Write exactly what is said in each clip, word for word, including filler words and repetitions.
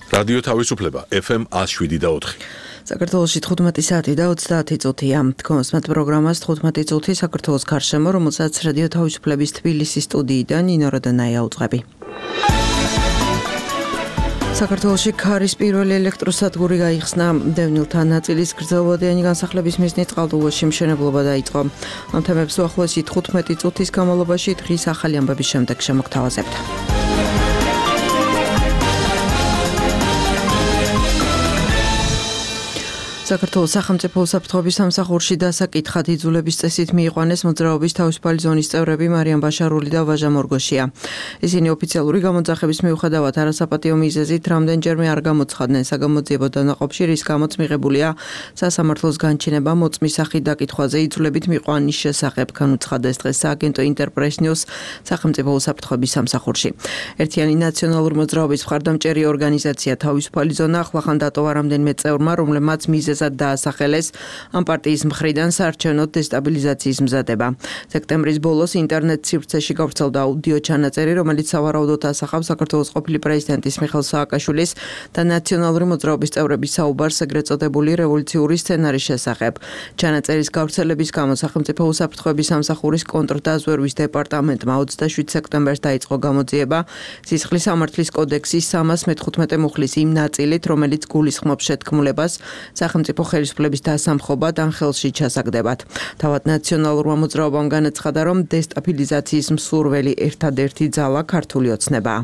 რადიო თავისუფლება ეფ ემ ათს შვიდი და ოთხი. საქართველოში თხუთმეტი საათი და ოცდაათი წუთია. თქვენს პროგრამას თხუთმეტი წუთი საქართველოს გარშემო, რომელსაც რადიო თავისუფლების თბილისის სტუდიიდან ნინო როდანაია უძღვები. საქართველოში ქარის პირველი ელექტროსადგური გაიხსნა. დევნილთა ნაწილის გრძელვადიანი განსახლების მიზნით წყალტუბოში მშენებლობა დაიწყო. ამ თემებს უახლოესი თხუთმეტი წუთის განმავლობაში დღის ახალი ამბების შემდეგ შემოგთავაზებთ. საქართველოს სახელმწიფო უსაფრთხოების სამსახურში დასაკითხად იძულების წესით მიიყვანეს მოძრაობის თავისუფალი ზონის წევრები მარიამ ბაშარული და ვაჟა მორგოშია. ისინი ოფიციალური გამოძახების მიუხედავად არასაპატიო მიზეზით რამდენჯერმე არ გამოცხადდნენ საგამოძიებო დანაყოფში, რის გამოც მიღებულია სასამართლოს განჩინება მოწმის სახით დაკითხვაზე იძულებით მიიყვანის შესახებ, განუცხადეს დღეს სააგენტო ინტერპრეს-ნიუს სახელმწიფო უსაფრთხოების სამსახურში. ერთიანი ნაციონალური მოძრაობის მხარდამჭერი ორგანიზაცია თავისუფალი ზონა ახლახან დატოვა რამდენიმე წევრმა, რომლებმაც მიზეზ დაასახელეს ამ პარტიის მხრიდან საარჩევნო დესტაბილიზაციის მზადება. სექტემბრის ბოლოს ინტერნეტ სივრცეში გავრცელდა აუდიო ჩანაწერი, რომელიც სავარაუდოდ ასახავს საქართველოს ყოფილი პრეზიდენტის მიხეილ სააკაშვილის და ნაციონალური მოძრაობის წევრების საუბარს ეგრეთ წოდებული რევოლუციური სცენარის შესახებ. ჩანაწერის გავრცელების გამო სახელმწიფო უსაფრთხოების სამსახურის კონტრდაზვერვის დეპარტამენტმა ოცდაშვიდ სექტემბერს დაიწყო გამოძიება სისხლის სამართლის კოდექსის სამას მეთხუთმეტე მუხლის იმ ნაწილით, რომელიც გულისხმობს შეთქმულებას სახელმწიფო ხელისუფლების დასამხობად ან ხელში ჩასაგდებად. თავად ნაციონალურმა მოძრაობამ განაცხადა, რომ დესტაბილიზაციის მსურველი ერთადერთი ძალა ქართული ოცნებაა.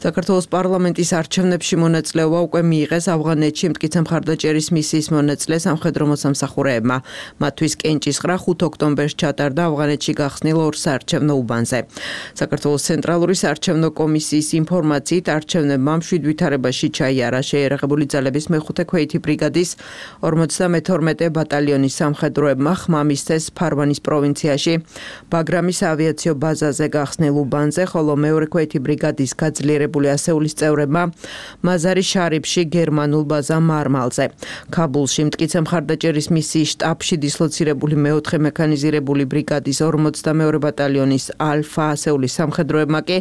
საქართველოს პარლამენტის არჩევნებში მონაწილეობა უკვე მიიღეს ავღანეთში მტკიცე მხარდაჭერის მისიის მონაწილე სამხედრო მოსამსახურეებმა. მათთვის კენჭისყრა ხუთ ოქტომბერს ჩატარდა ავღანეთში გახსნილ ორ საარჩევნო უბანზე. საქართველოს ცენტრალური საარჩევნო კომისიის ინფორმაციით არჩევნებმა მშვიდ ვითარებაში ჩაიარა შეიარაღებული ძალების მეხუთე ქვეითი ბრიგადის ორმოცდამეთორმეტე ბატალიონის სამხედროებმა ხმამისთეს ფარვანის პროვინციაში ბაგრამის ავიაციო ბაზაზე გახსნილ უბანზე, ხოლო მეორე ქვეითი ბრიგადის გაძლიერებული ასეულის წევრებმა მაზარი შარიფში გერმანულ ბაზა მარმალზე. ქაბულში მტკიცე მხარდაჭერის მისიის შტაბში დისლოცირებული მეოთხე მექანიზირებული ბრიგადის ორმოცდამეორე ბატალიონის ალფა ასეულის სამხედროებმა კი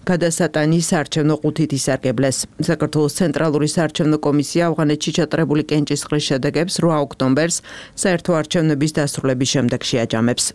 გადასატანის საარჩევნო ყუთით ისარგებლეს. საქართველოს ცენტრალური საარჩევნო კომისია ავღანეთში ჩატარებული კენჭისყრის შედეგებს რვა ოქტომბერს საერთო არჩევნების დასრულების შემდეგ შეაჯამებს.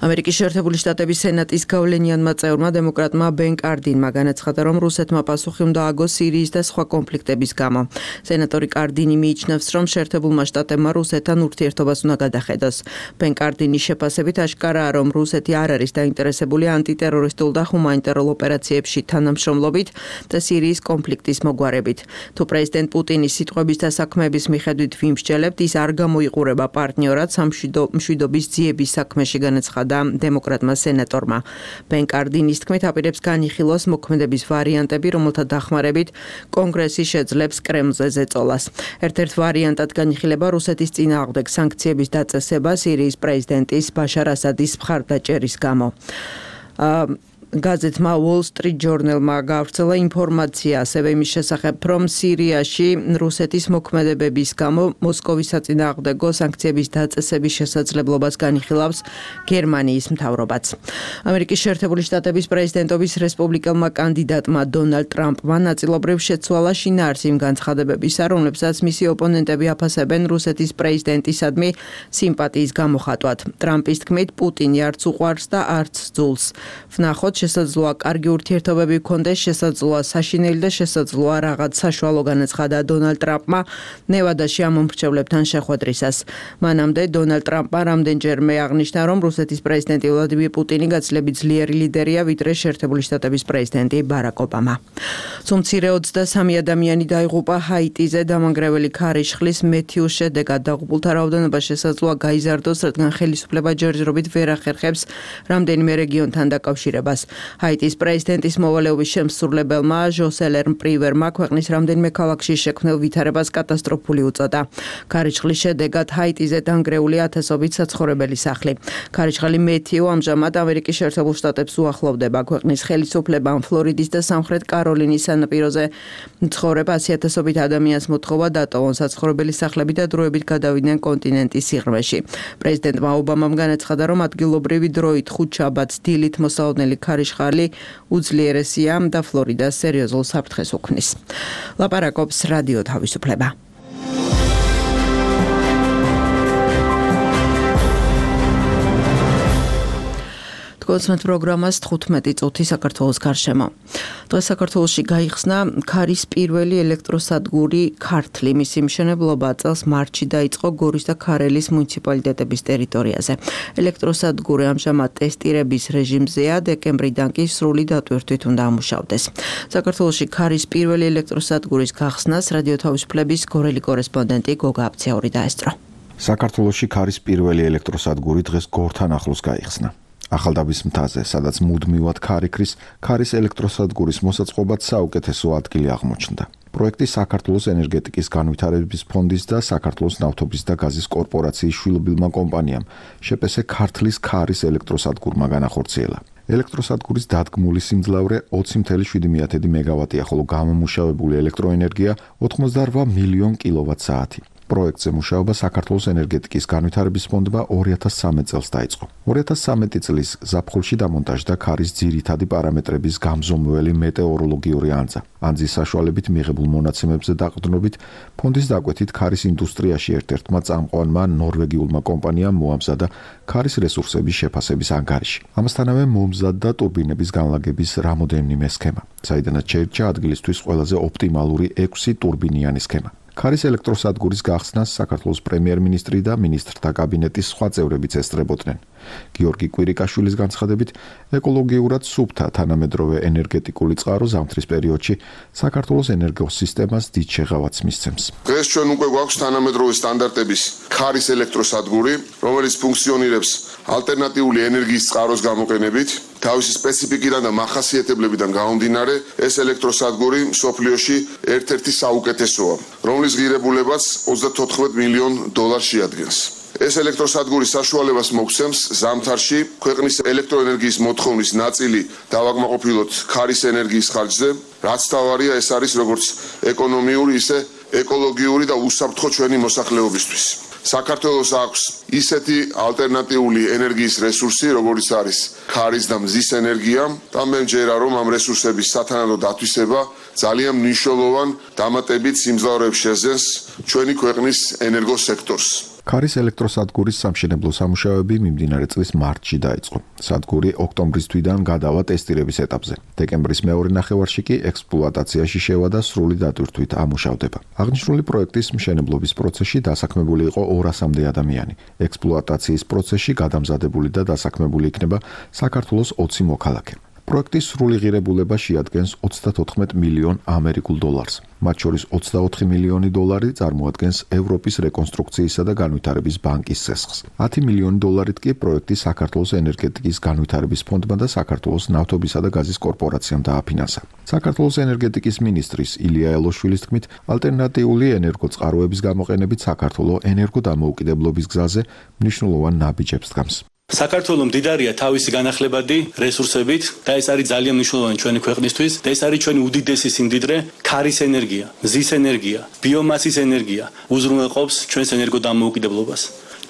ამერიკის შეერთებული შტატების სენატის გავლენიანმა წევრმა დემოკრატმა ბენ კარდინმა განაცხადა, რომ რუსეთმა პასუხი უნდა ააგოს სირიის და სხვა კონფლიქტების გამო. სენატორი კარდინი მიიჩნევს, რომ შეერთებულმა შტატებმა რუსეთთან ურთიერთობას უნდა გადახედოს. ბენ კარდინის შეფასებით აშკარაა, რომ რუსეთი არ არის დაინტერესებული ანტიტერორისტულ და ჰუმანიტარულ ოპერაციებში თანამშრომლობით და სირიის კონფლიქტის მოგვარებით. თუ პრეზიდენტ პუტინის სიტყვების და საქმეების მიხედვით ვიმსჯელებთ, ის არ გამოიყურება პარტნიორად სამშვიდობის ძიების საქმეში, განაცხადა დემოკრატმა სენატორმა. ბენ კარდინის თქმით, აპირებს განიხილოს მოქმედების ვარიანტები, რომელთა დახმარებით კონგრესი შეძლებს კრემლზე ზეწოლას. ერთ-ერთ ვარიანტად განიხილება რუსეთის წინააღმდეგ სანქციების დაწესება სირიის პრეზიდენტის ბაშარ ასადის მხარდაჭერის გამო. გაზეთმა Wall Street Journal-მა გავრცელა ინფორმაცია ასევე იმის შესახებ, რომ სირიაში რუსეთის მოქმედებების გამო მოსკოვის საწინააღმდეგო სანქციების დაწესების შესაძლებლობას განიხილავს გერმანიის მთავრობაც. ამერიკის შეერთებული შტატების პრეზიდენტობის რესპუბლიკელმა კანდიდატმა დონალდ ტრამპმა ნაწილობრივ შეცვალა შინაარსი იმ განცხადებებისა, რომლებსაც მისი ოპონენტები აფასებენ რუსეთის პრეზიდენტისადმი სიმპათიის გამოხატვად. ტრამპის თქმით, პუტინი არც უყვარს და არც ძულს. ვნახოთ, შესაძლოა კარგი ურთიერთობები გქონდეს, შესაძლოა საშინელი და შესაძლოა რაღაც საშუალო, განაცხადა დონალდ ტრამპმა ნევადაში ამ მომრჩევლებთან შეხვედრისას. მანამდე დონალდ ტრამპმა რამდენჯერმე აღნიშნა, რომ რუსეთის პრეზიდენტი ვლადიმირ პუტინი გაცილებით ძლიერი ლიდერია, ვიდრე შეერთებული შტატების პრეზიდენტი ბარაკ ობამა. სუმცირე ოცდასამი ადამიანი დაიღუპა ჰაიტიზე დამანგრეველი ქარიშხლის მეთიუს შედეგად. დაღუპულთა რაოდენობა შესაძლოა გაიზარდოს, რადგან ხელისუფლება ჯერჯერობით ვერ ახერხებს რამდენიმე რეგიონთან დაკავშირებას. ჰაიტის პრეზიდენტის მოვალეობის შემსრულებელმა ჟოსელენ პრივერმა ქვეყნის რამდენიმე ქალაქში შექმნილ ვითარებას კატასტროფული უწოდა. ქარიშხლის შედეგად ჰაიტიზე დანგრეული ათასობით საცხოვრებელი სახლი. ქარიშხალი მეთიუ ამჟამად ამერიკის შეერთებულ შტატებს უახლოვდება. ქვეყნის ხელისუფლებამ ფლორიდის და სამხრეთ კაროლინის სანაპიროზე მცხოვრებ ასი ათასობით ადამიანს მოთხოვა დატოვონ საცხოვრებელი სახლები და დროებით გადავიდნენ კონტინენტის სიღრმეში. პრეზიდენტმა ობამამ განაცხადა, რომ ადგილობრივი დროით ხუთშაბათს დილით მოსალოდნელი ქარიშხალი ხარიშხალი უძლიერესია და ფლორიდას სერიოზულ საფრთხეს უქმნის. ლაპარაკობს რადიო თავისუფლება. კონსმეთ პროგრამას თხუთმეტი წუთი საქართველოს გარშემო. დღეს საქართველოში გაიხსნა ქარის პირველი ელექტროსადგური ქართლი. მისი მშენებლობა წელს მარტში დაიწყო გორის და ქარელის მუნიციპალიტეტების ტერიტორიაზე. ელექტროსადგური ამჟამად ტესტირების რეჟიმზეა, დეკემბრიდან კი სრული დატვირთვით უნდა ამუშავდეს. საქართველოში ქარის პირველი ელექტროსადგურის გახსნას რადიო თავისუფლების გორელი კორესპონდენტი გოგა აბციური დაესწრო. საქართველოში ქარის პირველი ელექტროსადგური დღეს გორთან ახლოს გაიხსნა. ახალდაბის მთაზე, სადაც მუდმივად ქარიქრის, ქარის ელექტროსადგურის მოსაწყობად საუკეთესო ადგილი აღმოჩნდა. პროექტი საქართველოს ენერგეტიკის განვითარების ფონდის და საქართველოს ნავთობის და გაზის კორპორაციის შვილობილმა კომპანიამ შეპესე ქართლის ქარის ელექტროსადგურმა განახორციელა. ელექტროსადგურის დადგმული სიმძლავრე ოცი წუთი შვიდი მეგავატია, ხოლო გამომუშავებული ელექტროენერგია ოცდაორ მილიონ კილოვატ-საათი. პროექტზე მუშაობა საქართველოს ენერგეტიკის განვითარების ფონდმა ორი ათას სამი წელს დაიწყო. ორი ათას სამი წლის ზაფხულში დამონტაჟდა ქარის ძირითადი პარამეტრების გამზომველი მეტეოროლოგიური ანძა. ანძის საშუალებით მიღებულ მონაცემებზე დაყრდნობით, ფონდის დაკვეთით ქარის ინდუსტრიაში ერთ-ერთმა წამყვანმა ნორვეგიულმა კომპანიამ მოამზადა ქარის რესურსების შეფასების ანგარიში. ამასთანავე მომზადდა ტურბინების განლაგების რამოდენიმე სქემა, საიდანაც შეირჩა ადგილისთვის ყველაზე ოპტიმალური ექვსი ტურბინიანი სქემა. ქარის ელექტროსადგურის გახსნას საქართველოს პრემიერ-მინისტრი და მინისტრთა კაბინეტის სხვა წევრებიც ესწრებოდნენ. გიორგი კვირიკაშვილის განცხადებით, ეკოლოგიურად სუფთა თანამედროვე ენერგეტიკული წყარო ზამთრის პერიოდში საქართველოს ენერგოსისტემას დიდ შეღავათს მისცემს. დღეს ჩვენ უკვე გვაქვს თანამედროვე სტანდარტების ქარის ელექტროსადგური, რომელიც ფუნქციონირებს ალტერნატიული ენერგიის წყაროს გამოყენებით. თავისი სპეციფიკიდან და მახასიათებლებიდან გამომდინარე, ეს ელექტროსადგური მსოფლიოში ერთ-ერთი საუკეთესოა, რომლის ღირებულებაც ოცდათოთხმეტ მილიონ დოლარს შეადგენს. ეს ელექტროსადგური საშუალებას მოგცემს ზამთარში ქვეყნის ელექტროენერგიის მოთხოვნის ნაწილი დავაკმაყოფილოთ ქარის ენერგიის ხარჯზე, რაც თავარია ეს არის როგორც ეკონომიური, ისე ეკოლოგიური და უსაფრთხო ჩვენი მოსახლეობისთვის. საქართველოს აქვს ისეთი ალტერნატიული ენერგიის რესურსი, როგორც არის ქარის და მზის ენერგია, და მე მჯერა, რომ ამ რესურსების სათანადო დათვისება ძალიან მნიშვნელოვან დამატებით სიმძლავრეებს შეძენს ჩვენი ქვეყნის ენერგოსექტორს. ქარის ელექტროსადგურის სამშენებლო სამუშაოები მიმდინარე წლის მარტში დაიწყო. სადგური ოქტომბრის თვიდან გადავა ტესტირების ეტაპზე. დეკემბრის მეორე ნახევარში კი ექსპლუატაციაში შევა და სრული დატვირთვით ამუშავდება. აღნიშნული პროექტის მშენებლობის პროცესში დასაქმებული იყო ორასამდე ადამიანი. ექსპლუატაციის პროცესში გადამზადებული და დასაქმებული იქნება საქართველოს ოცი მოქალაქე. პროექტის სრული ღირებულება შეადგენს ოცდათოთხმეტ მილიონ ამერიკულ დოლარს. მათ შორის ოცდაოთხი მილიონი დოლარი წარმოადგენს ევროპის რეკონსტრუქციისა და განვითარების ბანკის წესხს. ათი მილიონი დოლარით კი პროექტი საქართველოს ენერგეტიკის განვითარების ფონდმა და საქართველოს ნავთობისა და გაზის კორპორაციამ დააფინანსა. საქართველოს ენერგეტიკის მინისტრის ილია ელოშვილის თქმით, ალტერნატიული ენერგოწყაროების გამოყენებით საქართველო ენერგოდამოუკიდებლობის გზაზე მნიშვნელოვან ნაბიჯებს დგამს. საქართველოს მდიდარია თავისი განახლებადი რესურსებით და ეს არის ძალიან მნიშვნელოვანი ჩვენი ქვეყნისთვის და ეს არის ჩვენი უდიდესი სიმდიდრე, ქარის ენერგია, მზის ენერგია, ბიომასის ენერგია უზრუნველყოფს ჩვენს ენერგოდამოუკიდებლობას.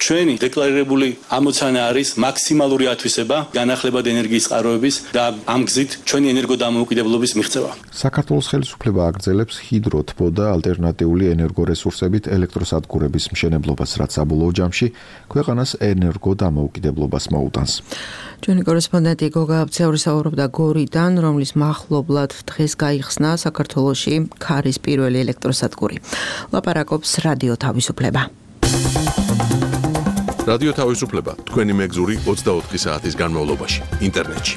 ჩვენი დეკლარირებული ამოცანა არის მაქსიმალური ათვისება განახლებადი ენერგიის წყაროების და ამ გზით ჩვენი ენერგოდამოუკიდებლობის მიღწევა. საქართველოს ხელისუფლება აგრძელებს ჰიდროთბო და ალტერნატიული ენერგორესურსებით ელექტროსადგურების მშენებლობას, რაც საბოლოო ჯამში ქვეყანას ენერგოდამოუკიდებლობას მოუტანს. ჩვენი კორესპონდენტი გოგა აბციური საუბრობდა გორიდან, რომლის მახლობლად დღეს გაიხსნა საქართველოში ქარის პირველი ელექტროსადგური. ლაპარაკობს რადიო თავისუფლება. რადიო თავისუფლება თქვენი მეგზური ოცდაოთხი საათის განმავლობაში ინტერნეტში.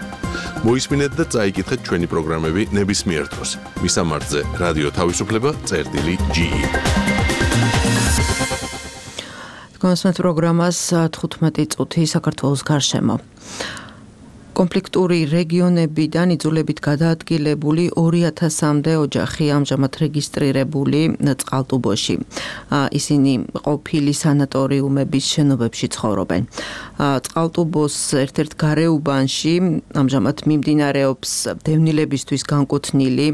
მოისმინეთ და წაიკითხეთ ჩვენი პროგრამები ნებისმიერ დროს. მისამართზე რადიო თავისუფლება წერტილი ჯი ი. კონსმეთ პროგრამას თხუთმეტი წუთი საქართველოს გარშემო. კონფლიქტური რეგიონებიდან იძულებით გადაადგილებული ორი ათასამდე ოჯახი ამჟამად რეგისტრირებული წყალტუბოში. ისინი ყოფილი სანატორიუმების შენობებში ცხოვრობენ. წყალტუბოს ერთ-ერთ გარეუბანში ამჟამად მიმდინარეობს დევნილებისთვის განკუთვნილი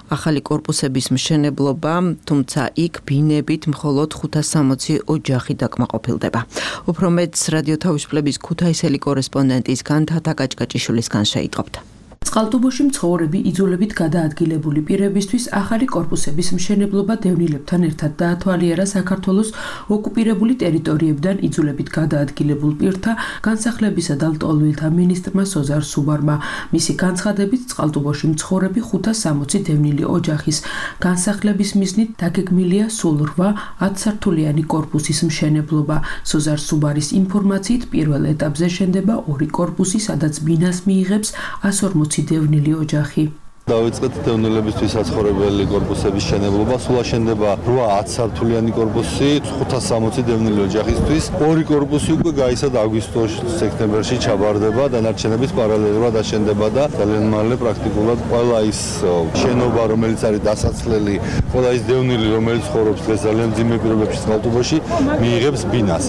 ახალი კორპუსების მშენებლობა, თუმცა იქ ბინებით მხოლოდ ხუთას სამოცი ოჯახი დაკმაყოფილდება. უფრო მეტს რადიო თავისუფლების ქუთაისელი კორესპონდენტისგან თათა კაჭკაჭიშვილისგან შეიტყობთ. წყალტუბოში მცხოვრები იძულებით გადაადგილებული პირებისთვის ახალი კორპუსების მშენებლობა დევნილებთან ერთად დაათვალიერა საქართველოს ოკუპირებული ტერიტორიებიდან იძულებით გადაადგილებულ პირთა განსახლებისა და ლტოლვილთა მინისტრმა სოზარ სუბარმა. მისი განცხადებით წყალტუბოში მცხოვრები ხუთას სამოცი დევნილი ოჯახის განსახლების მიზნით დაგეგმილია სულ რვა ათსართულიანი კორპუსის მშენებლობა. სოზარ სუბარის ინფორმაციით პირველ ეტაპზე შენდება ორი კორპუსი, სადაც ბინას მიიღებს ას ორმოცი დევნილი ოჯახი. დავიწყეთ დევნილებისთვის საცხოვრებელი კორპუსების შენებლობა. სულ აშენდება რვა ათსართულიანი კორპუსი ხუთას სამოცი დევნილი ოჯახისთვის. ორი კორპუსი უკვე გაიცადა აგვისტო-სექტემბერში ჩაბარდება, დანარჩენების პარალელურად აშენდება და ძალიან მალე პრაქტიკულად ყველა ის შენობა, რომელიც არის დასაცლელი, ყველა ის დევნილი, რომელიც ცხოვრობს დღეს ძალიან მძიმე პირობებში წყალტუბოში, მიიღებს ბინას.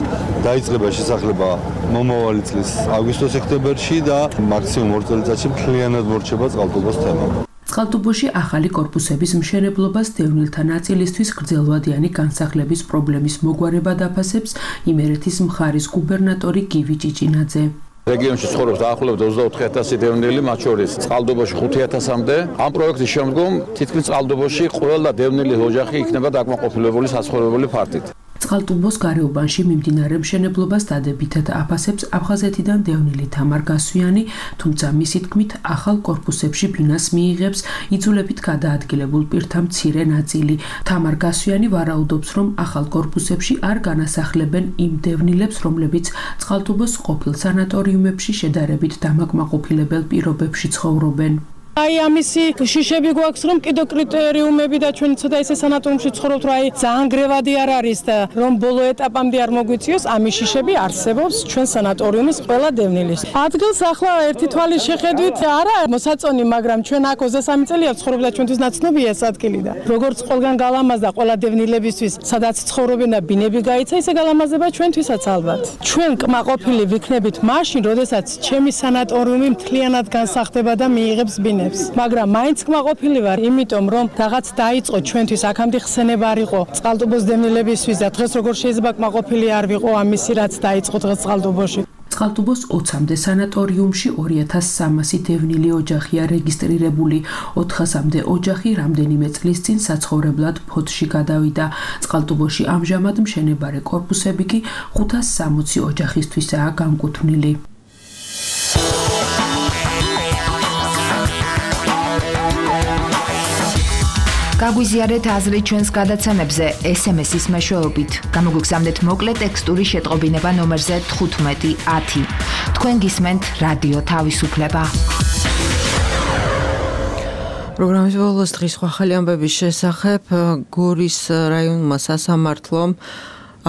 დაიწყება შესახლება მომავალი წლის აგვისტო-სექტემბერში და მაქსიმუმ ორ წელიწადში მთლიანად მორჩება წყალტუბოს თემა. წყალტუბოში ახალი კორპუსების მშენებლობას დევნილთა ნაწილისთვის გრძელვადიანი განსახლების პრობლემის მოგვარებად აფასებს იმერეთის მხარის გუბერნატორი გივი ჭიჭინაძე. რეგიონში ცხოვრობს დაახლოებით ოცდაოთხი ათასი დევნილი, მათ შორის წყალტუბოში ხუთი ათასამდე. ამ პროექტის შემდგომ თითქმის წყალტუბოში ყველა დევნილი ოჯახი იქნება დაკმაყოფილებული საცხოვრებელი ფართით. წყალტუბოს გარეუბანში მიმდინარე მშენებლობას დადებითად აფასებს აფხაზეთიდან დევნილი თამარ გასვიანი, თუმცა მისი თქმით ახალ კორპუსებში ბინას მიიღებს იძულებით გადაადგილებულ პირთა მცირე ნაწილი. თამარ გასვიანი ვარაუდობს, რომ ახალ კორპუსებში არ განასახლებენ იმ დევნილებს, რომლებიც წყალტუბოს ყოფილ სანატორიუმებში შედარებით დამაკმაყოფილებელ პირობებში ცხოვრობენ. აი ამისი შიშები გვაქვს, რომ კიდო კრიტერიუმები და ჩვენ ცოტა ისე სანატორიუმში ცხოვრობთ, რომ აი ძალიან გრევადი არ არის და რომ ბოლო ეტაპამდე არ მოგვიწიოს, ამის შიშები არსებობს ჩვენ სანატორიუმის ყველა დევნილის. ადგილს ახლა ერთი თვალის შეხედვით არა მოსაწონი, მაგრამ ჩვენ აქ ოცდასამი წელია ვცხოვრობ და ჩვენთვის ნაცნობია ეს ადგილი და როგორც ყველგან გალამაზდა ყველა დევნილებისთვის, სადაც ცხოვრობენ და ბინები გაიცა, ისე გალამაზება ჩვენთვისაც ალბათ. ჩვენ კმაყოფილი ვიქნებით მაშინ, როდესაც ჩემი სანატორიუმი მთლიანად განსახდება და მიიღებს ბინებს. მაგრამ მაინც კმაყოფილი ვარ, იმიტომ რომ რაღაც დაიწყო ჩვენთვის, აქამდე ხსენება არ იყო წყალტუბოს დევნილებისთვის და დღეს როგორ შეიძლება კმაყოფილი არ ვიყო ამისი, რაც დაიწყო დღეს წყალტუბოში. წყალტუბოს ოცამდე სანატორიუმში ორი ათას სამასი დევნილი ოჯახია რეგისტრირებული. ოთხასამდე ოჯახი რამდენიმე წლის წინ საცხოვრებლად ფოთში გადავიდა. წყალტუბოში ამჟამად მშენებარე კორპუსები კი ხუთას სამოცი ოჯახისთვისაა განკუთვნილი. გაგვიზიარეთ აზრი ჩვენს გადაცემებზე ეს ემ ესის მეშვეობით. გამოგვიგზავნეთ მოკლე ტექსტური შეტყობინება ნომერზე თხუთმეტი ათი. თქვენ გისმენთ რადიო თავისუფლება. პროგრამის ბოლოს დღის ახალი ამბების შესახებ გორის რაიონმა სასამართლომ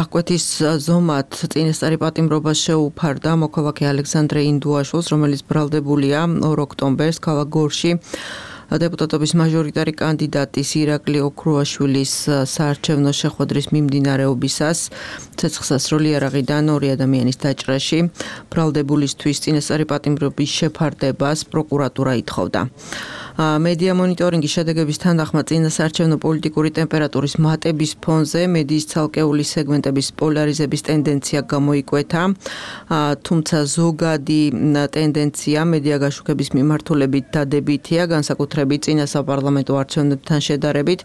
აღკვეთის ზომად წინასწარი პატიმრობას შეუფარდა მოქალაქე ალექსანდრე ინდუაშვილს, რომელიც ბრალდებულია ორ ოქტომბერს ქალაქ გორში დეპუტატობის მაჟორიტარი კანდიდატის ირაკლი ოქრუაშვილის საარჩევნო შეხვედრის მიმდინარეობისას ცეცხლსასროლი იარაღიდან ორი ადამიანის დაჭრაში ბრალდებულისთვის წინასწარი პატიმრობის შეფარდებას პროკურატურა ითხოვდა. მედია მონიტორინგის შედეგების თანახმად წინასაარჩევნო პოლიტიკური ტემპერატურის მატების ფონზე მედიის ცალკეული სეგმენტების პოლარიზების ტენდენცია გამოიკვეთა, თუმცა ზოგადი ტენდენცია მედია გაშუქების მიმართულებით დადებითია, განსაკუთრებით წინა საპარლამენტო არჩევნებთან შედარებით.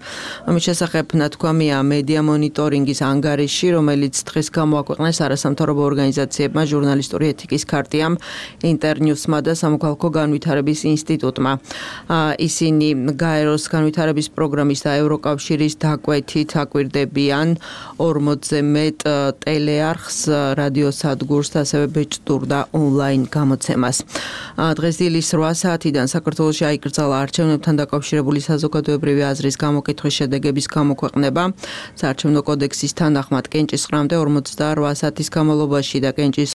ამის შესახებ ნათქვამია მედია მონიტორინგის ანგარიში, რომელიც დღეს გამოაქვეყნეს არასამთავრობო ორგანიზაციებმა, ჟურნალისტური ეთიკის ქარტიამ, ინტერნიუსმა და სამოქალაქო განვითარების ინსტიტუტმა. ისინი გაეროს განვითარების პროგრამის და ევროკავშირის დაკვეთით აკვირდებიან ორმოცზე მეტ ტელეარხს, რადიოსადგურს და ასევე ბეჭდურ და ონლაინ გამოცემას. დღეს დილის რვა საათიდან საქართველოში აიკრძალა არჩევნებთან დაკავშირებული საზოგადოებრივი აზრის გამოკითხვის შედეგების გამოქვეყნება. საარჩევნო კოდექსის თანახმად კენჭისყრამდე ორმოცდარვა საათის განმავლობაში და კენჭის